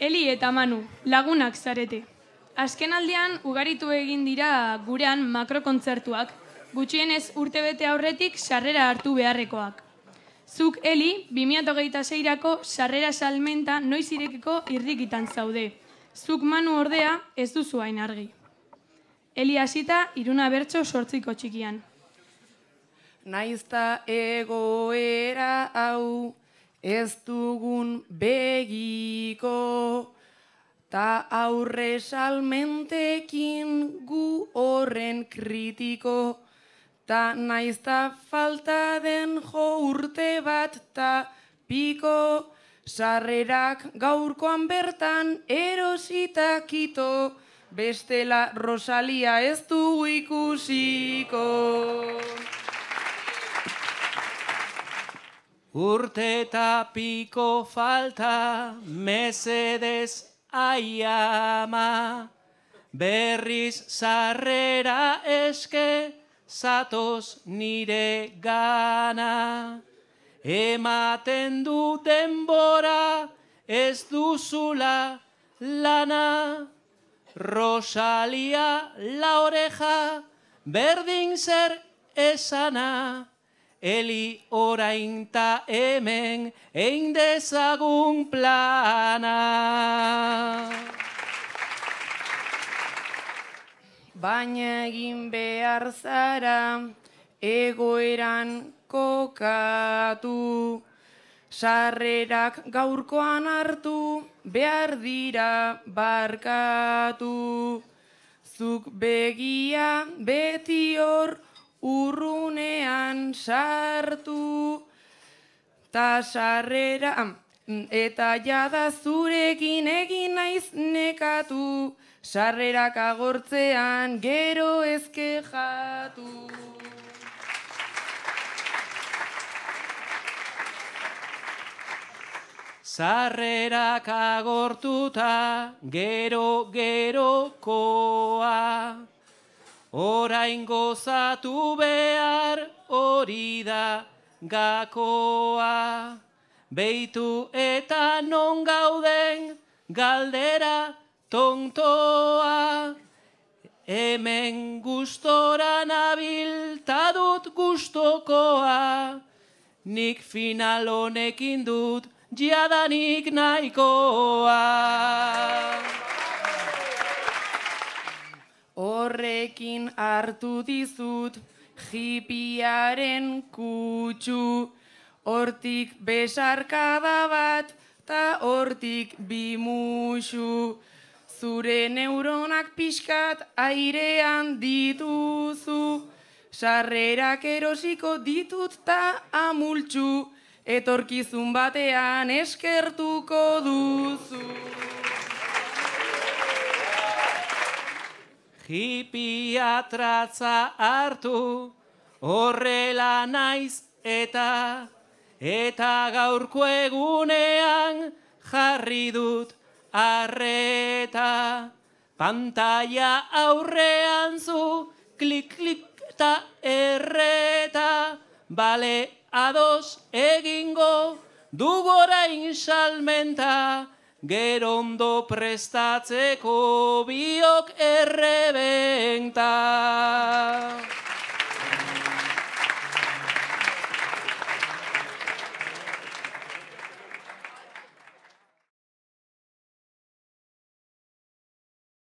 Eli eta Manu, lagunak zarete. Azken aldean ugaritu egin dira gurean makrokontzertuak, gutxienez urtebete aurretik sarrera hartu beharrekoak. Zuk, Eli, 2026-rako sarrera salmenta noiz irekiko irrikitan zaude. Zuk, Manu, ordea, ez duzu hain argi. Eli hasita, Iruna bertso 8 txikian. Naizta egoera hau ez dugun begiko, ta aurre salmentekin gu horren kritiko, ta naizta falta den jo urte bat ta piko, sarrerak gaurkoan bertan erosita kito, bestela Rosalia ez dugu ikusiko. Urte eta piko falta, mesedez aiama, berriz sarrera eske, zatoz nire gana. Ematen du denbora, ez duzula lana. Rosalia la oreja, berdin zer esana. Eli orain ta hemen, egin dezagun plana. Baina egin behar zara, egoeran kokatu. Sarrerak gaurkoan hartu, behar dira barkatu. Zuk begia beti hor, urrunean sartu, ta sarrera, eta jada zurekin egin naiz nekatu, sarrerak agortzean gero ezkejatu. Sarrerak agortuta gerokoa, orain gozatu behar hori da gakoa. Beitu eta non gauden galdera tontoa. Hemen gustora nabil ta dut gustokoa. Nik final honekin dut jadanik nahikoa. Horrekin hartu dizut hipiaren kutsu, hortik besarkada bat ta hortik bi musu. Zure neuronak pixkat airean dituzu, sarrerak erosiko ditut ta amultzu, etorkizun batean eskertuko duzu. Hipiatratza hartu, horrela naiz eta gaurko egunean jarri dut arreta. Pantalla aurrean zu, klik, klik eta erreta, bale ados egingo dugu orain salmenta, gero ondo prestatzeko biok errebenta.